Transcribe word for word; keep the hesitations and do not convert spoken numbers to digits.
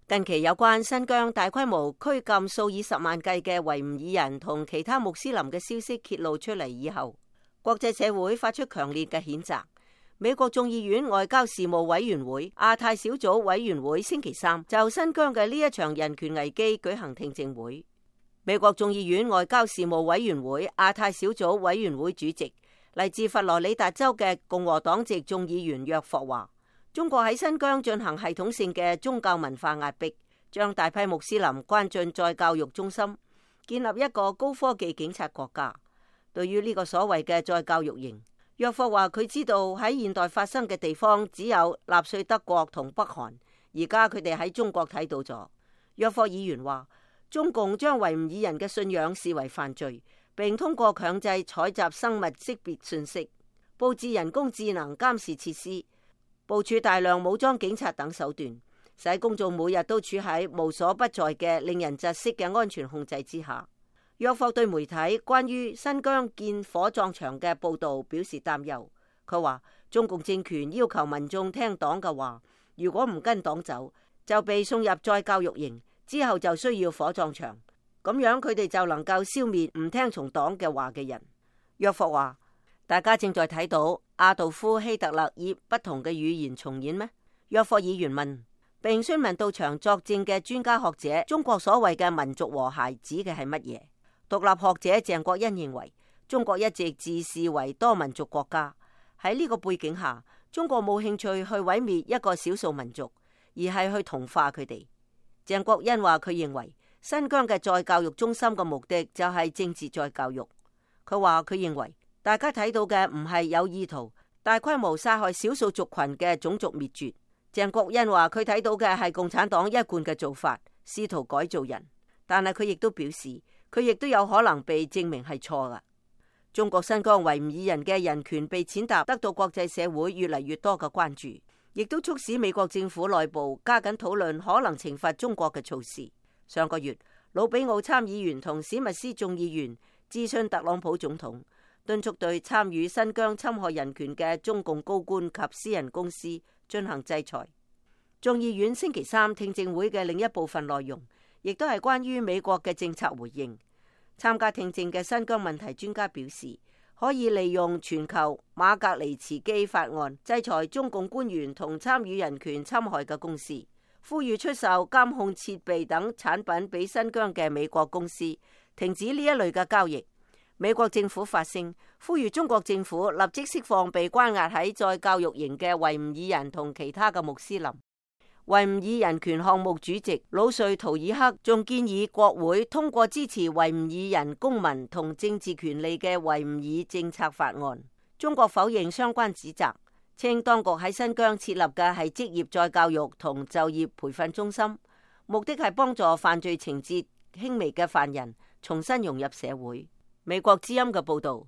近期有關新疆大規模拘禁數以十萬計嘅維吾爾人同其他穆斯林嘅消息揭露出嚟以後，國際社會發出強烈嘅譴責。美國眾議院外交事務委員會亞太小組委員會星期三就新疆嘅呢一場人權危機舉行聽證會。美國眾議院外交事務委員會亞太小組委員會主席嚟自佛羅里達州嘅共和黨籍眾議員約霍話，中國喺新疆進行系統性嘅宗教文化壓迫，將大批穆斯林關進再教育中心，建立一個高科技警察國家。對於呢個所謂嘅再教育營，約霍話佢知道喺現代發生嘅地方只有納粹德國同北韓，而家佢哋喺中國睇到咗。約霍議員話，中共將維吾爾人嘅信仰視為犯罪，並通過強制採集生物識別信息，佈置人工智能監視設施，部署大量武裝警察等手段，使公眾每日都處喺無所不在嘅令人窒息嘅安全控制之下。約霍對媒體關於新疆建火葬場嘅報道表示擔憂。佢話中共政權要求民眾聽黨嘅話，如果唔跟黨走，就被送入再教育營，之後就需要火葬場，咁樣佢哋就能夠消滅唔聽從黨嘅話嘅人。約霍話，大家正在睇到阿道夫希特勒以不同嘅語言重演咩？約霍議員問，並詢問到場作證嘅專家學者，中國所謂嘅民族和諧指嘅係乜嘢？獨立學者鄭國恩認為，中國一直自視為多民族國家，喺呢個背景下，中國冇興趣去毀滅一個少數民族，而係去同化佢哋。鄭國恩話佢認為新疆嘅再教育中心嘅目的就係政治再教育。佢話佢認為大家睇到嘅唔係有意圖大規模殺害少數族群嘅種族滅絕。鄭國恩話佢睇到嘅係共產黨一貫嘅做法，試圖改造人，但係佢亦都表示佢亦都有可能被證明係錯㗎。中國新疆維吾爾人嘅人權被踐踏，得到國際社會越嚟越多嘅關注，亦都促使美國政府內部加緊討論可能懲罰中國嘅措施。上個月，魯比奧參議員同史密斯眾議員諮詢特朗普總統，敦促對參與新疆侵害人權嘅中共高官及私人公司進行制裁。眾議院星期三聽證會嘅另一部分內容，亦都係關於美國嘅政策回應。參加聽證嘅新疆問題專家表示，可以利用全球馬格尼茨基法案制裁中共官員同參與人權侵害嘅公司，呼籲出售監控設備等產品俾新疆嘅美國公司停止呢一類嘅交易。美國政府發聲，呼籲中國政府立即釋放被關押喺再教育營嘅維吾爾人同其他嘅穆斯林。維吾爾人權項目主席魯瑞圖爾克仲建議國會通過支持維吾爾人公民同政治權利嘅維吾爾政策法案。中國否認相關指責，稱當局喺新疆設立嘅係職業再教育同就業培訓中心，目的係幫助犯罪情節輕微嘅犯人重新融入社會。美國之音嘅報道。